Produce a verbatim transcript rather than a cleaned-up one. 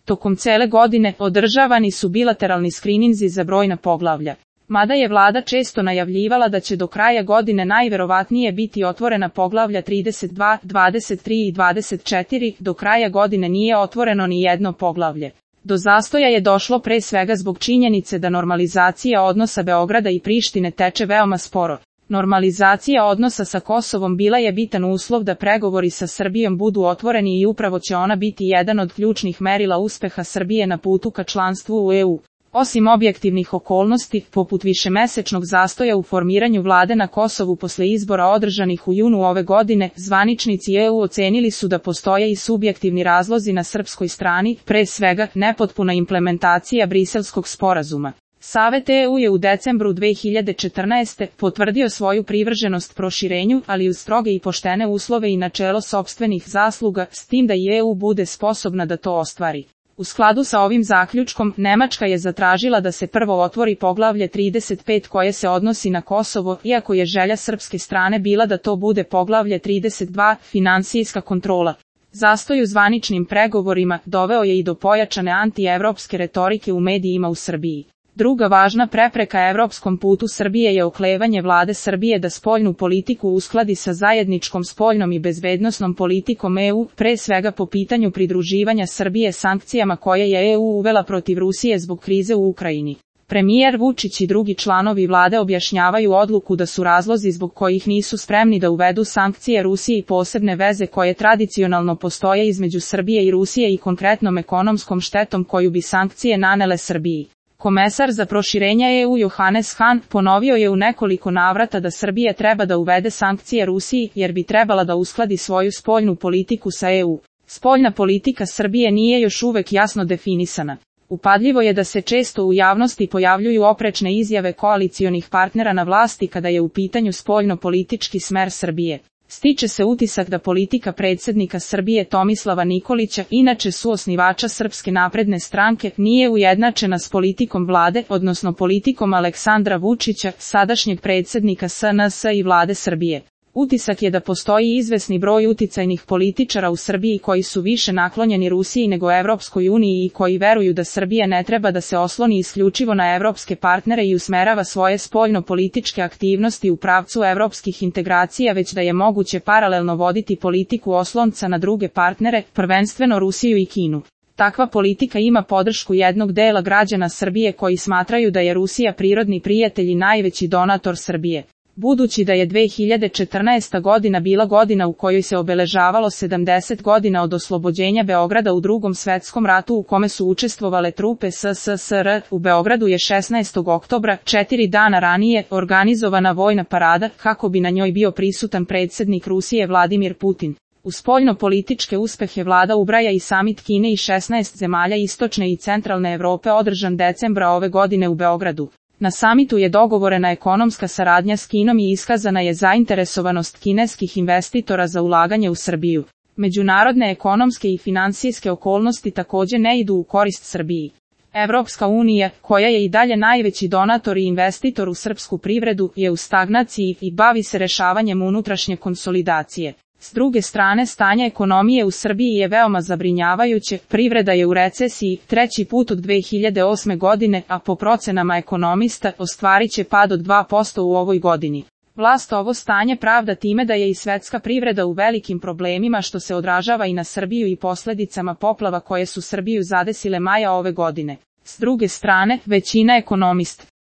Tokom cele godine održavani su bilateralni skrininzi za brojna poglavlja. Mada je vlada često najavljivala da će do kraja godine najverovatnije biti otvorena poglavlja trideset dva, dvadeset tri i dvadeset četiri, do kraja godine nije otvoreno ni jedno poglavlje. Do zastoja je došlo pre svega zbog činjenice da normalizacija odnosa Beograda i Prištine teče veoma sporo. Normalizacija odnosa sa Kosovom bila je bitan uslov da pregovori sa Srbijom budu otvoreni i upravo će ona biti jedan od ključnih merila uspeha Srbije na putu ka članstvu u E U. Osim objektivnih okolnosti, poput višemesečnog zastoja u formiranju vlade na Kosovu posle izbora održanih u junu ove godine, zvaničnici E U ocenili su da postoje i subjektivni razlozi na srpskoj strani, pre svega nepotpuna implementacija Briselskog sporazuma. Savet E U je u decembru dve hiljade četrnaeste. potvrdio svoju privrženost proširenju, ali uz stroge i poštene uslove i načelo sopstvenih zasluga, s tim da i E U bude sposobna da to ostvari. U skladu sa ovim zaključkom, Nemačka je zatražila da se prvo otvori poglavlje trideset pet koje se odnosi na Kosovo, iako je želja srpske strane bila da to bude poglavlje trideset dva, finansijska kontrola. Zastoj u zvaničnim pregovorima doveo je i do pojačane antievropske retorike u medijima u Srbiji. Druga važna prepreka evropskom putu Srbije je oklevanje vlade Srbije da spoljnu politiku uskladi sa zajedničkom spoljnom i bezbednosnom politikom E U, pre svega po pitanju pridruživanja Srbije sankcijama koje je E U uvela protiv Rusije zbog krize u Ukrajini. Premijer Vučić i drugi članovi vlade objašnjavaju odluku da su razlozi zbog kojih nisu spremni da uvedu sankcije Rusiji posebne veze koje tradicionalno postoje između Srbije i Rusije i konkretnom ekonomskom štetom koju bi sankcije nanele Srbiji. Komesar za proširenje E U Johannes Hahn ponovio je u nekoliko navrata da Srbija treba da uvede sankcije Rusiji jer bi trebala da uskladi svoju spoljnu politiku sa E U. Spoljna politika Srbije nije još uvek jasno definisana. Upadljivo je da se često u javnosti pojavljuju oprečne izjave koalicionih partnera na vlasti kada je u pitanju spoljno-politički smer Srbije. Stiče se utisak da politika predsjednika Srbije Tomislava Nikolića, inače suosnivača Srpske napredne stranke, nije ujednačena s politikom vlade, odnosno politikom Aleksandra Vučića, sadašnjeg predsjednika S N S i vlade Srbije. Utisak je da postoji izvesni broj uticajnih političara u Srbiji koji su više naklonjeni Rusiji nego Evropskoj uniji i koji veruju da Srbija ne treba da se osloni isključivo na evropske partnere i usmerava svoje spoljno-političke aktivnosti u pravcu evropskih integracija, već da je moguće paralelno voditi politiku oslonca na druge partnere, prvenstveno Rusiju i Kinu. Takva politika ima podršku jednog dela građana Srbije koji smatraju da je Rusija prirodni prijatelj i najveći donator Srbije. Budući da je dve hiljade četrnaesta. godina bila godina u kojoj se obeležavalo sedamdeset godina od oslobođenja Beograda u Drugom svetskom ratu u kome su učestvovale trupe S S S R, u Beogradu je šesnaestog oktobra, četiri dana ranije, organizovana vojna parada, kako bi na njoj bio prisutan predsjednik Rusije Vladimir Putin. U spoljno-političke uspehe vlada ubraja i samit Kine i šesnaest zemalja istočne i centralne Evrope održan decembra ove godine u Beogradu. Na samitu je dogovorena ekonomska saradnja s Kinom i iskazana je zainteresovanost kineskih investitora za ulaganje u Srbiju. Međunarodne ekonomske i finansijske okolnosti također ne idu u korist Srbiji. Evropska unija, koja je i dalje najveći donator i investitor u srpsku privredu, je u stagnaciji i bavi se rešavanjem unutrašnje konsolidacije. S druge strane, stanje ekonomije u Srbiji je veoma zabrinjavajuće, privreda je u recesiji, treći put od dve hiljade osme. godine, a po procenama ekonomista, ostvarit će pad od dva posto u ovoj godini. Vlast ovo stanje pravda time da je i svetska privreda u velikim problemima što se odražava i na Srbiju i posljedicama poplava koje su Srbiju zadesile maja ove godine. S druge strane, većina ekonomista